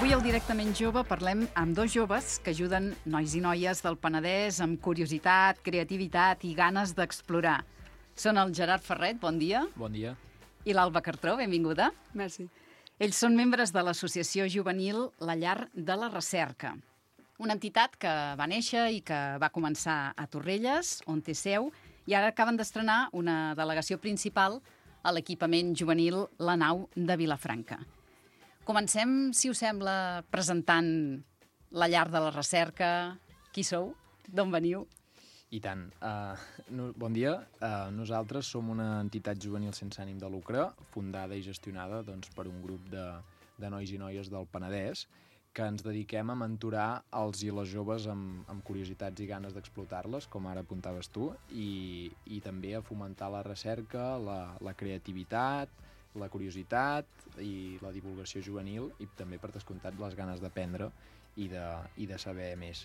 Avui al Directament Jove parlem amb dos joves que ajuden nois i noies del Penedès amb curiositat, creativitat i ganes d'explorar. Són el Gerard Ferret, bon dia. Bon dia. I l'Alba Cartró, benvinguda. Merci. Ells són membres de l'associació juvenil La Llar de la Recerca, una entitat que va néixer i que va començar a Torrelles, on té seu, i ara acaben d'estrenar una delegació principal a l'equipament juvenil La Nau de Vilafranca. Comencem, si us sembla, presentant La Llar de la Recerca. Qui sou? D'on veniu? I tant. Bon dia. Nosaltres som una entitat juvenil sense ànim de lucre, fundada i gestionada per un grup de nois i noies del Penedès, que ens dediquem a mentorar els i les joves amb curiositats i ganes d'explotar-les, com ara apuntaves tu, i també a fomentar la recerca, la creativitat, la curiositat i la divulgació juvenil, i també, per descomptat, les ganes d'aprendre i de saber més.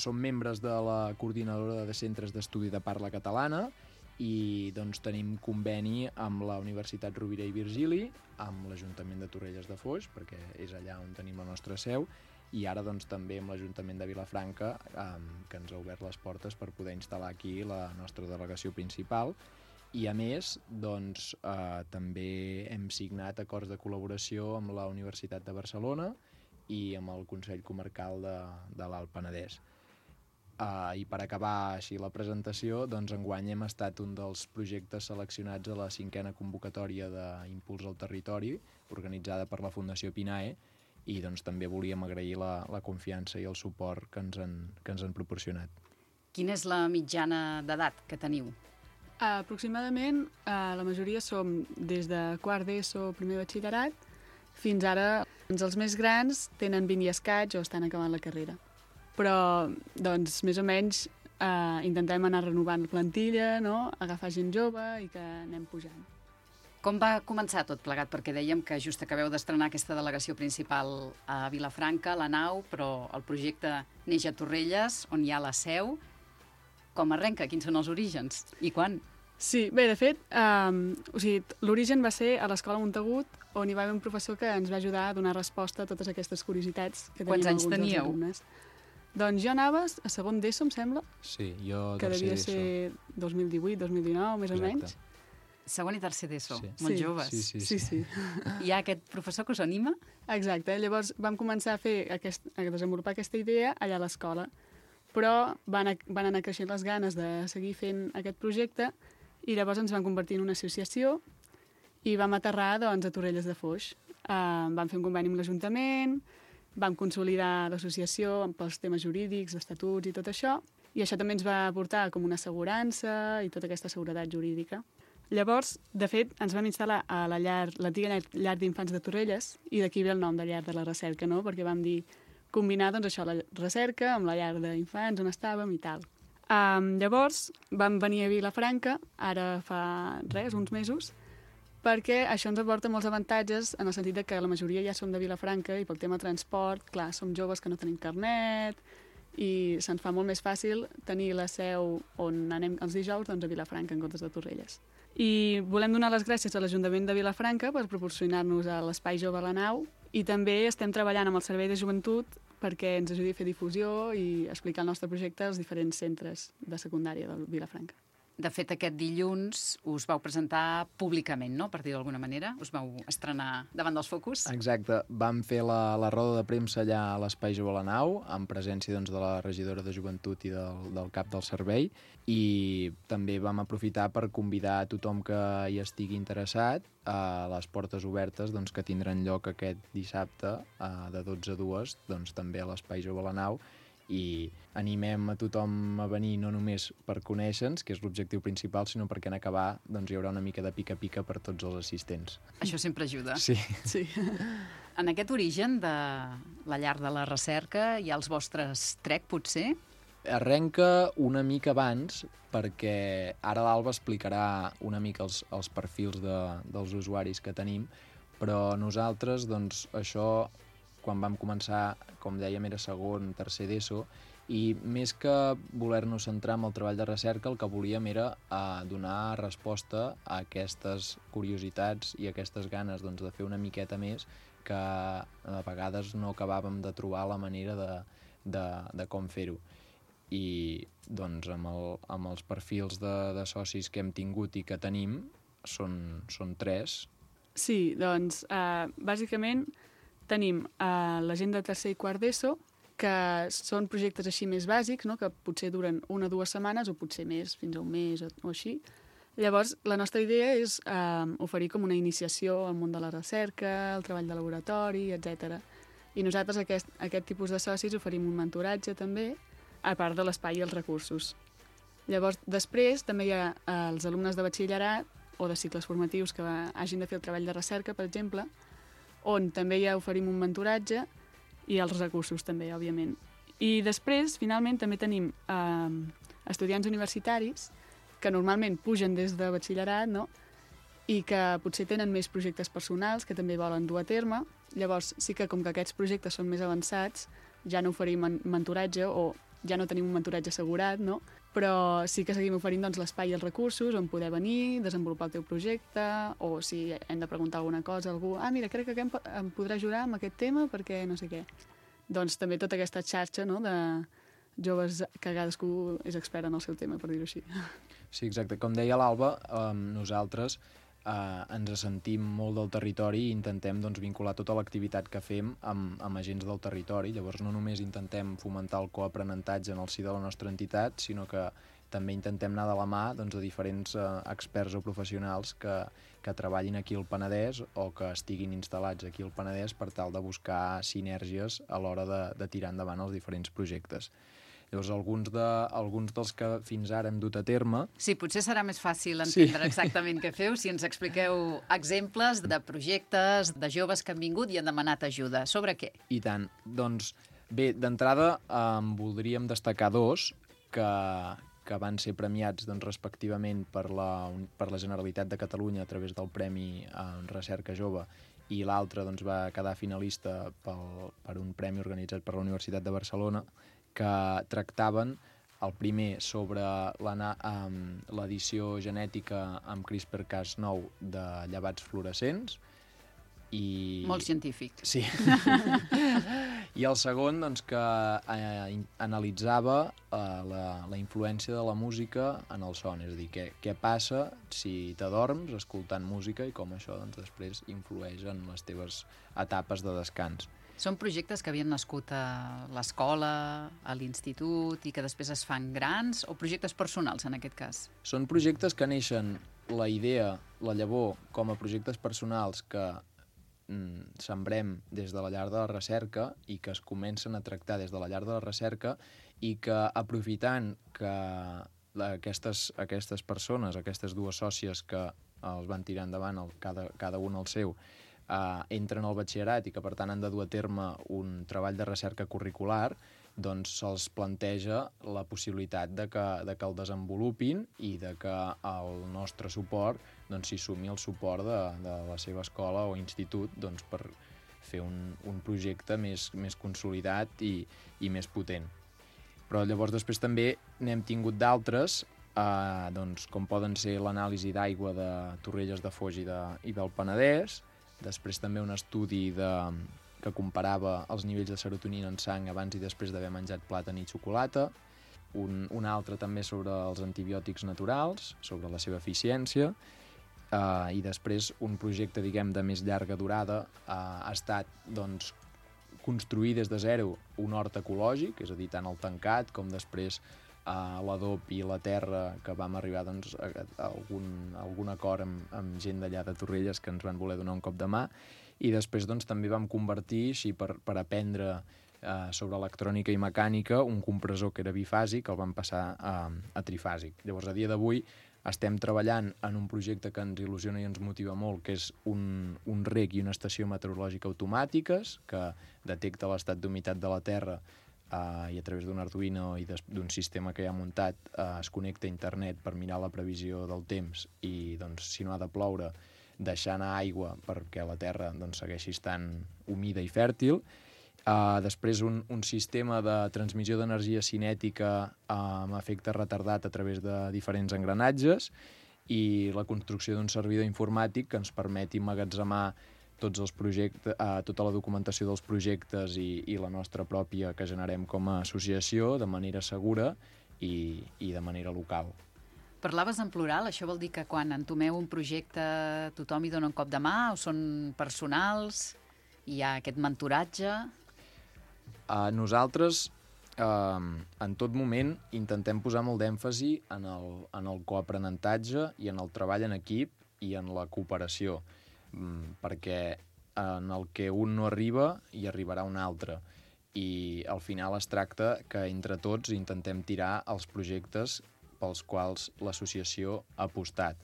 Som membres de la Coordinadora de Centres d'Estudi de Parla Catalana i tenim conveni amb la Universitat Rovira i Virgili, amb l'Ajuntament de Torrelles de Foix, perquè és allà on tenim la nostra seu, i ara també amb l'Ajuntament de Vilafranca, que ens ha obert les portes per poder instal·lar aquí la nostra delegació principal. I, a més, també hem signat acords de col·laboració amb la Universitat de Barcelona i amb el Consell Comarcal de l'Alt Penedès. I per acabar així la presentació, enguany hem estat un dels projectes seleccionats a la 5a convocatòria d'Impuls al Territori, organitzada per la Fundació PINAE, i també volíem agrair la confiança i el suport que ens han proporcionat. Quina és la mitjana d'edat que teniu? Aproximadament, la majoria som des de quart d'ESO, primer batxillerat, fins ara els més grans tenen 20 i escaig o estan acabant la carrera. Però, més o menys, intentem anar renovant la plantilla, no? Agafar gent jove i que anem pujant. Com va començar tot plegat? Perquè dèiem que just acabeu d'estrenar aquesta delegació principal a Vilafranca, La Nau, però el projecte neix a Torrelles, on hi ha la seu. Com arrenca? Quins són els orígens? I quan? Sí, bé, de fet, l'origen va ser a l'Escola Montagut, on hi va haver un professor que ens va ajudar a donar resposta a totes aquestes curiositats que teníem alguns dels alumnes. Doncs jo anava a segon d'ESO, em sembla. Sí, jo que devia ser 2018, 2019, més o menys. Segon i tercer d'ESO, molt joves. Sí. Hi ha aquest professor que us anima? Exacte, llavors vam començar a desenvolupar aquesta idea allà a l'escola, però van anar creixent les ganes de seguir fent aquest projecte i llavors ens vam convertir en una associació i vam aterrar a Torrelles de Foix. Vam fer un conveni amb l'Ajuntament, vam consolidar l'associació pels temes jurídics, estatuts i tot això, i això també ens va aportar com una assegurança i tota aquesta seguretat jurídica. Llavors, de fet, ens vam instal·lar a l'antiga llar d'infants de Torrelles, i d'aquí ve el nom de Llar de la Recerca, no? Perquè vam dir combinar això, la recerca amb la llar d'infants on estàvem i tal. Llavors vam venir a Vilafranca, ara fa uns mesos, perquè això ens aporta molts avantatges en el sentit que la majoria ja som de Vilafranca i pel tema transport, clar, som joves que no tenim carnet i se'ns fa molt més fàcil tenir la seu on anem els dijous a Vilafranca en comptes de Torrelles. I volem donar les gràcies a l'Ajuntament de Vilafranca per proporcionar-nos l'Espai Jove a la Nau i també estem treballant amb el Servei de Joventut perquè ens ajudi a fer difusió i explicar el nostre projecte als diferents centres de secundària de Vilafranca. De fet, aquest dilluns us vau presentar públicament, no?, per dir d'alguna manera. Us vau estrenar davant dels focus. Exacte. Vam fer la roda de premsa allà a l'Espai Jove a la Nau, en presència de la regidora de Joventut i del cap del servei, i també vam aprofitar per convidar a tothom que hi estigui interessat a les portes obertes que tindran lloc aquest dissabte de 12 a 2, també a l'Espai Jove a la Nau, i animem a tothom a venir no només per conèixer-nos, que és l'objectiu principal, sinó perquè en acabar hi haurà una mica de pica-pica per tots els assistents. Això sempre ajuda. Sí. En aquest origen de la Llar de la Recerca hi ha els vostres trek, potser? Arrenca una mica abans, perquè ara l'Alba explicarà una mica els perfils dels usuaris que tenim, però nosaltres, això quan vam començar, com dèiem, era segon, tercer d'ESO, i més que voler-nos centrar en el treball de recerca, el que volíem era donar resposta a aquestes curiositats i a aquestes ganes doncs, de fer una miqueta més que a vegades no acabàvem de trobar la manera de com fer-ho. I doncs amb els perfils de socis que hem tingut i que tenim són 3. Sí, doncs bàsicament tenim la gent de tercer i quart d'ESO, que són projectes així més bàsics, no? Que potser duren 1 o 2 setmanes o potser més, fins a un mes o així. Llavors, la nostra idea és oferir com una iniciació al món de la recerca, el treball de laboratori, etc. I nosaltres, aquest tipus de socis, oferim un mentoratge també, a part de l'espai i els recursos. Llavors, després, també hi ha els alumnes de batxillerat o de cicles formatius que hagin de fer el treball de recerca, per exemple, on també ja oferim un mentoratge i els recursos també, òbviament. I després, finalment, també tenim estudiants universitaris que normalment pugen des de batxillerat, no? I que potser tenen més projectes personals que també volen dur a terme. Llavors, sí que com que aquests projectes són més avançats, ja no oferim mentoratge o ja no tenim un mentoratge assegurat, no? Però sí que seguim oferint doncs, l'espai i els recursos on poder venir, desenvolupar el teu projecte, o si hem de preguntar alguna cosa a algú, mira, crec que em podrà ajudar amb aquest tema perquè no sé què. Doncs també tota aquesta xarxa, no?, de joves que cadascú és expert en el seu tema, per dir-ho així. Sí, exacte. Com deia l'Alba, nosaltres ens sentim molt del territori i intentem doncs, vincular tota l'activitat que fem amb agents del territori. Llavors no només intentem fomentar el coaprenentatge en el si de la nostra entitat, sinó que també intentem anar de la mà doncs, de diferents experts o professionals que treballin aquí al Penedès o que estiguin instal·lats aquí al Penedès per tal de buscar sinergies a l'hora de tirar endavant els diferents projectes. Llavors, alguns dels que fins ara hem dut a terme... Sí, potser serà més fàcil entendre exactament què feu si ens expliqueu exemples de projectes de joves que han vingut i han demanat ajuda. Sobre què? I tant. Doncs, bé, d'entrada voldríem destacar 2 que van ser premiats doncs, respectivament per la Generalitat de Catalunya a través del Premi Recerca Jove, i l'altre doncs, va quedar finalista per un premi organitzat per la Universitat de Barcelona, que tractaven el primer sobre l'edició genètica amb CRISPR-Cas9 de llevats fluorescents. Molt científic. Sí. I el segon, doncs, que analitzava la influència de la música en el son, és a dir, què passa si t'adorms escoltant música i com això doncs, després influeix en les teves etapes de descans. Són projectes que havien nascut a l'escola, a l'institut i que després es fan grans, o projectes personals, en aquest cas? Són projectes que neixen la idea, la llavor, com a projectes personals que sembrem des de la llar de la recerca i que es comencen a tractar des de la llar de la recerca i que, aprofitant que aquestes persones, aquestes 2 sòcies que els van tirar endavant, cada un el seu, entren al batxillerat i que per tant han de dur a terme un treball de recerca curricular, doncs se'ls planteja la possibilitat de que el desenvolupin i de que el nostre suport s'hi sumi el suport de la seva escola o institut doncs, per fer un projecte més consolidat i més potent. Però llavors després també n'hem tingut d'altres, doncs, com poden ser l'anàlisi d'aigua de Torrelles de Foix i del Penedès, després també un estudi que comparava els nivells de serotonina en sang abans i després d'haver menjat plàtan i xocolata, un altre també sobre els antibiòtics naturals, sobre la seva eficiència, i després un projecte, diguem, de més llarga durada ha estat, doncs, construir des de zero un hort ecològic, és a dir, tant el tancat com després l'adob i la terra, que vam arribar doncs, a algun acord amb gent d'allà de Torrelles que ens van voler donar un cop de mà, i després doncs, també vam convertir, així per aprendre sobre electrònica i mecànica, un compressor que era bifàsic, el vam passar a trifàsic. Llavors, a dia d'avui estem treballant en un projecte que ens il·lusiona i ens motiva molt, que és un reg i una estació meteorològica automàtiques que detecta l'estat d'humitat de la Terra i a través d'un Arduino i d'un sistema que hi ha muntat es connecta a internet per mirar la previsió del temps i, doncs, si no ha de ploure, deixar anar aigua perquè la terra doncs, segueixi estant humida i fèrtil. Després un sistema de transmissió d'energia cinètica amb efecte retardat a través de diferents engranatges i la construcció d'un servidor informàtic que ens permeti emmagatzemar tots els projectes, tota la documentació dels projectes i la nostra pròpia que generem com a associació de manera segura i de manera local. Parlaves en plural, això vol dir que quan entomeu un projecte tothom hi dona un cop de mà o són personals? Hi ha aquest mentoratge? Nosaltres, en tot moment, intentem posar molt d'èmfasi en el coaprenentatge i en el treball en equip i en la cooperació, perquè en el que un no arriba hi arribarà un altre. I al final es tracta que entre tots intentem tirar els projectes pels quals l'associació ha apostat.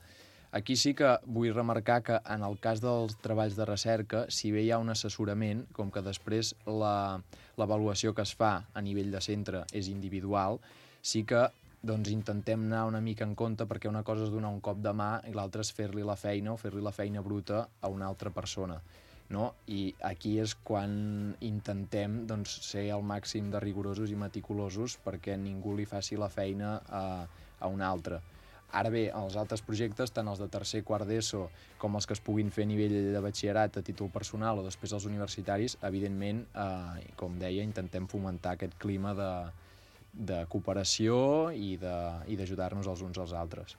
Aquí sí que vull remarcar que en el cas dels treballs de recerca, si bé hi ha un assessorament, com que després l'avaluació que es fa a nivell de centre és individual, sí que intentem anar una mica en compte perquè una cosa és donar un cop de mà i l'altra és fer-li la feina o fer-li la feina bruta a una altra persona. No? I aquí és quan intentem ser al màxim de rigorosos i meticulosos perquè ningú li faci la feina a un altre. Ara bé, els altres projectes, tant els de tercer, quart d'ESO, com els que es puguin fer a nivell de batxillerat a títol personal o després els universitaris, evidentment, com deia, intentem fomentar aquest clima de cooperació i d'ajudar-nos els uns als altres.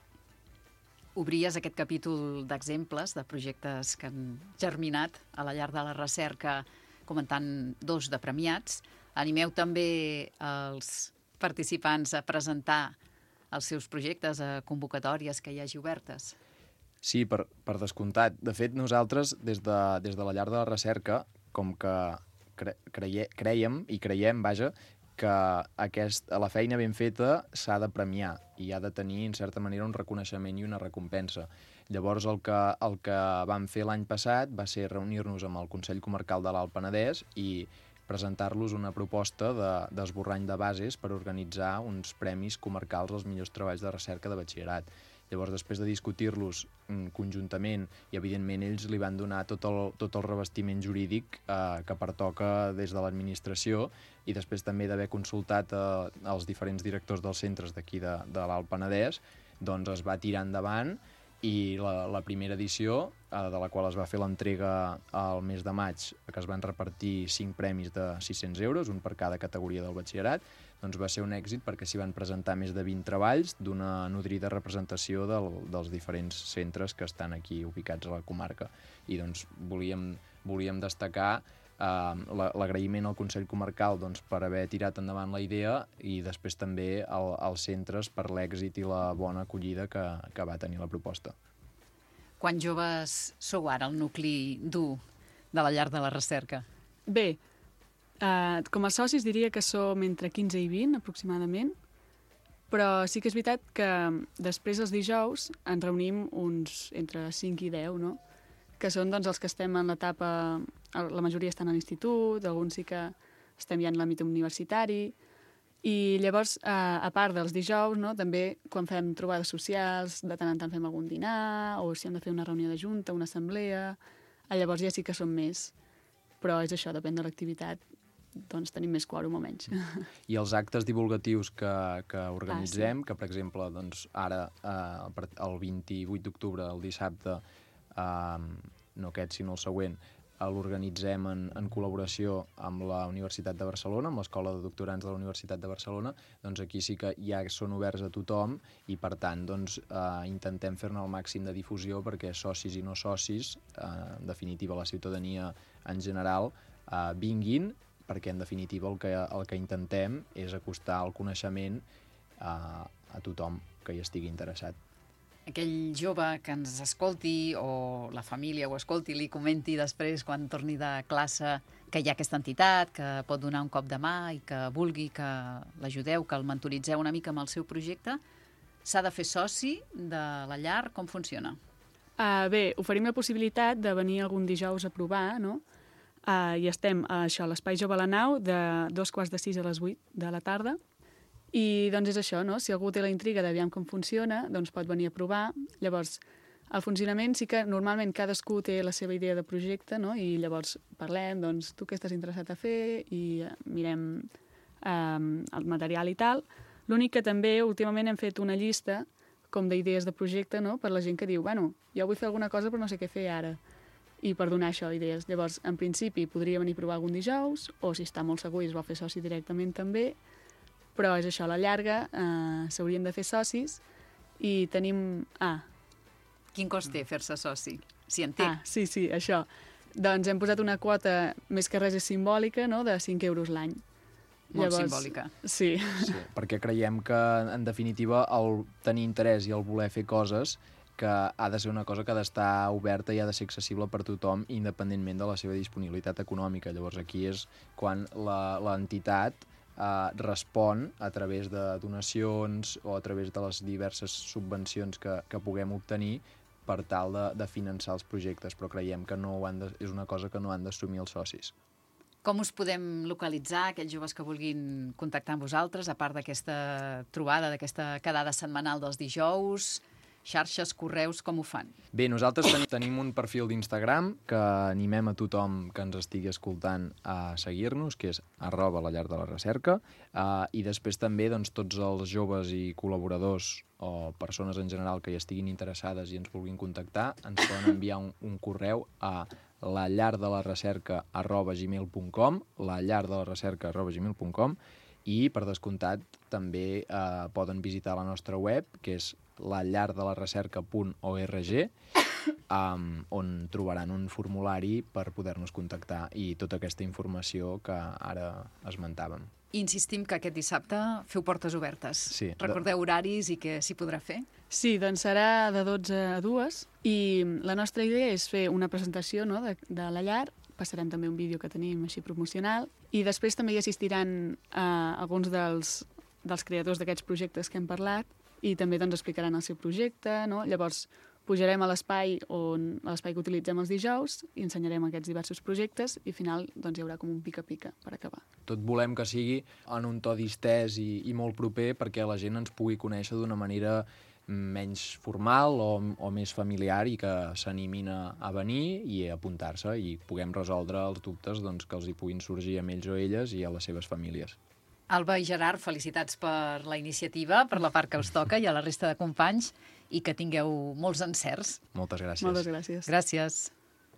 Obries aquest capítol d'exemples de projectes que han germinat a la llar de la recerca comentant 2 de premiats. Animeu també els participants a presentar els seus projectes a convocatòries que hi hagi obertes? Sí, per descomptat. De fet, nosaltres, des de la llar de la recerca, com que creiem, que la feina ben feta s'ha de premiar i ha de tenir, en certa manera, un reconeixement i una recompensa. Llavors, el que vam fer l'any passat va ser reunir-nos amb el Consell Comarcal de l'Alt Penedès i presentar-los una proposta d'esborrany de bases per organitzar uns premis comarcals als millors treballs de recerca de batxillerat. Llavors, després de discutir-los conjuntament, i evidentment ells li van donar tot el revestiment jurídic que pertoca des de l'administració i després també d'haver consultat els diferents directors dels centres d'aquí de l'Alt Penedès, doncs es va tirar endavant i la primera edició, de la qual es va fer l'entrega al mes de maig, que es van repartir 5 premis de 600 euros, un per cada categoria del batxillerat, doncs va ser un èxit perquè s'hi van presentar més de 20 treballs d'una nodrida representació dels diferents centres que estan aquí ubicats a la comarca. I doncs volíem destacar l'agraïment al Consell Comarcal per haver tirat endavant la idea i després també als centres per l'èxit i la bona acollida que va tenir la proposta. Quants joves sou ara el nucli dur de la llar de la recerca? Bé, com a socis diria que som entre 15 i 20 aproximadament, però sí que és veritat que després els dijous ens reunim uns entre 5 i 10, no? Que són els que estem en l'etapa, la majoria estan a l'institut, alguns sí que estem ja en l'àmbit universitari, i llavors, a part dels dijous, no, també quan fem trobades socials, de tant en tant fem algun dinar, o si hem de fer una reunió de junta, una assemblea, llavors ja sí que som més, però és això, depèn de l'activitat, doncs tenim més quòrum o menys. I els actes divulgatius que organitzem, que per exemple, ara, el 28 d'octubre, el dissabte, no aquest sinó el següent, l'organitzem en col·laboració amb la Universitat de Barcelona, amb l'Escola de Doctorants de la Universitat de Barcelona, doncs aquí sí que ja són oberts a tothom i per tant intentem fer-ne el màxim de difusió perquè socis i no socis, en definitiva la ciutadania en general, vinguin, perquè en definitiva el que intentem és acostar el coneixement a tothom que hi estigui interessat. Aquell jove que ens escolti o la família ho escolti, li comenti després quan torni de classe que hi ha aquesta entitat, que pot donar un cop de mà i que vulgui que l'ajudeu, que el mentoritzeu una mica amb el seu projecte, s'ha de fer soci de la llar? Com funciona? Bé, oferim la possibilitat de venir algun dijous a provar, no? I estem a l'Espai Jove a la Nau de 5:45 a les 8 de la tarda. I doncs és això, no? Si algú té la intriga d'aviam com funciona, doncs pot venir a provar. Llavors, El funcionament sí que normalment cadascú té la seva idea de projecte, no? I llavors parlem, doncs, tu què estàs interessat a fer i mirem el material i tal. L'únic que també últimament hem fet una llista com d'idees de projecte, no? Per la gent que diu, bueno, jo vull fer alguna cosa però no sé què fer ara. I per donar això idees. Llavors, en principi, podria venir a provar algun dijous, o si està molt segur i es vol fer soci directament també, però és això, a la llarga s'haurien de fer socis i tenim... Quin cost té fer-se soci? Si en té. Sí, això. Doncs hem posat una quota, més que res és simbòlica, no?, de 5 euros l'any. Molt simbòlica. Sí, perquè creiem que, en definitiva, el tenir interès i el voler fer coses que ha de ser una cosa que ha d'estar oberta i ha de ser accessible per tothom, independentment de la seva disponibilitat econòmica. Llavors, aquí és quan l'entitat respon a través de donacions o a través de les diverses subvencions que puguem obtenir per tal de finançar els projectes, però creiem que és una cosa que no han d'assumir els socis. Com us podem localitzar, aquells joves que vulguin contactar amb vosaltres, a part d'aquesta trobada, d'aquesta quedada setmanal dels dijous, xarxes, correus, com ho fan? Bé, nosaltres tenim un perfil d'Instagram que animem a tothom que ens estigui escoltant a seguir-nos, que és @lallardelarrecerca, i després també doncs, tots els joves i col·laboradors o persones en general que hi estiguin interessades i ens vulguin contactar, ens poden enviar un correu a lallardelarrecerca@gmail.com, lallardelarrecerca@gmail.com, i, per descomptat, també poden visitar la nostra web, que és lallardelarrecerca.org, on trobaran un formulari per poder-nos contactar i tota aquesta informació que ara esmentàvem. Insistim que aquest dissabte feu portes obertes. Sí. Recordeu horaris i què s'hi podrà fer? Sí, doncs serà de 12 a 2 i la nostra idea és fer una presentació, no?, de la llar. Passarem també un vídeo que tenim així promocional i després també hi assistiran alguns dels creadors d'aquests projectes que hem parlat i també doncs, explicaran el seu projecte, no? Llavors pujarem a l'espai que utilitzem els dijous i ensenyarem aquests diversos projectes i al final doncs, hi haurà com un pica-pica per acabar. Tot volem que sigui en un to distès i molt proper perquè la gent ens pugui conèixer d'una manera menys formal o més familiar i que s'animin a venir i a apuntar-se i puguem resoldre els dubtes doncs, que els hi puguin sorgir a ells o elles i a les seves famílies. Alba i Gerard, felicitats per la iniciativa, per la part que us toca i a la resta de companys i que tingueu molts encerts. Moltes gràcies. Moltes gràcies. Gràcies.